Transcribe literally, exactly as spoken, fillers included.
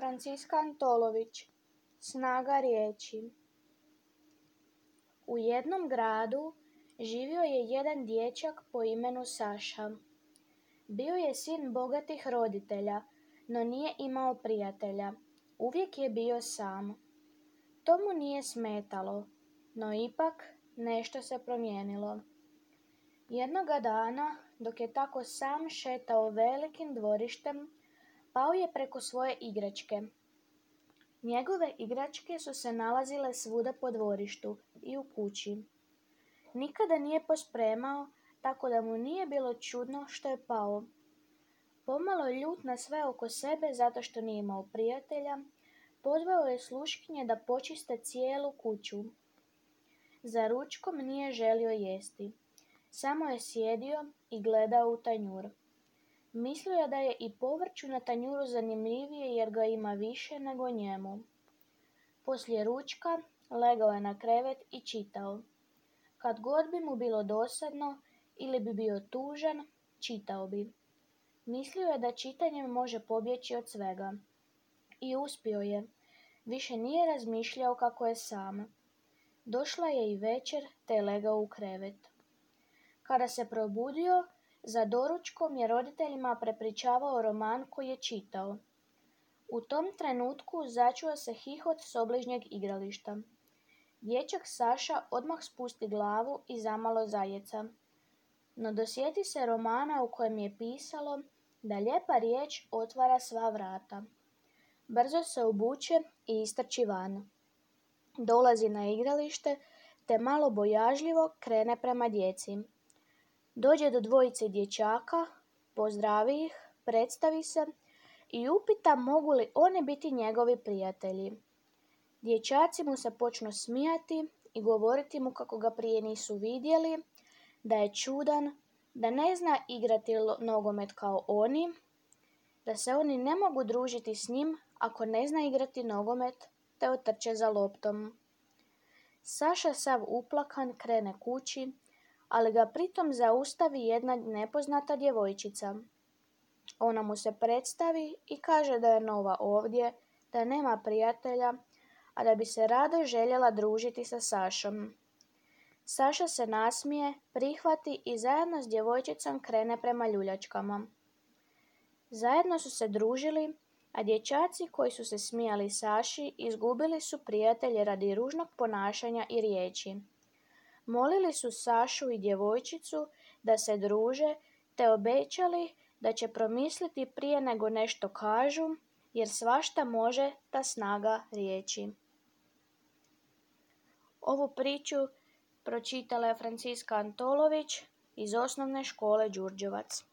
Franciska Antolović. Snaga riječi. U jednom gradu živio je jedan dječak po imenu Saša. Bio je sin bogatih roditelja, no nije imao prijatelja. Uvijek je bio sam. To mu nije smetalo, no ipak nešto se promijenilo. Jednoga dana, dok je tako sam šetao velikim dvorištem, pao je preko svoje igračke. Njegove igračke su se nalazile svuda po dvorištu i u kući. Nikada nije pospremao, tako da mu nije bilo čudno što je pao. Pomalo ljut na sve oko sebe zato što nije imao prijatelja, pozvao je sluškinje da počiste cijelu kuću. Za ručkom nije želio jesti. Samo je sjedio i gledao u tanjur. Mislio je da je i povrću na tanjuru zanimljivije jer ga ima više nego njemu. Poslije ručka legao je na krevet i čitao. Kad god bi mu bilo dosadno ili bi bio tužan, čitao bi. Mislio je da čitanjem može pobjeći od svega. I uspio je. Više nije razmišljao kako je sam. Došla je i večer, te je legao u krevet. Kada se probudio, za doručkom je roditeljima prepričavao roman koji je čitao. U tom trenutku začuo se hihot s obližnjeg igrališta. Dječak Saša odmah spusti glavu i zamalo zajeca. No dosjeti se romana u kojem je pisalo da lijepa riječ otvara sva vrata. Brzo se obuče i istrči van. Dolazi na igralište te malo bojažljivo krene prema djeci. Dođe do dvojice dječaka, pozdravi ih, predstavi se i upita mogu li oni biti njegovi prijatelji. Dječaci mu se počnu smijati i govoriti mu kako ga prije nisu vidjeli, da je čudan, da ne zna igrati nogomet kao oni, da se oni ne mogu družiti s njim ako ne zna igrati nogomet, te otrče za loptom. Saša sav uplakan krene kući, ali ga pritom zaustavi jedna nepoznata djevojčica. Ona mu se predstavi i kaže da je nova ovdje, da nema prijatelja, a da bi se rado željela družiti sa Sašom. Saša se nasmije, prihvati i zajedno s djevojčicom krene prema ljuljačkama. Zajedno su se družili, a dječaci koji su se smijali Saši izgubili su prijatelje radi ružnog ponašanja i riječi. Molili su Sašu i djevojčicu da se druže, te obećali da će promisliti prije nego nešto kažu, jer svašta može ta snaga riječi. Ovu priču pročitala je Franciska Antolović iz osnovne škole Đurđevac.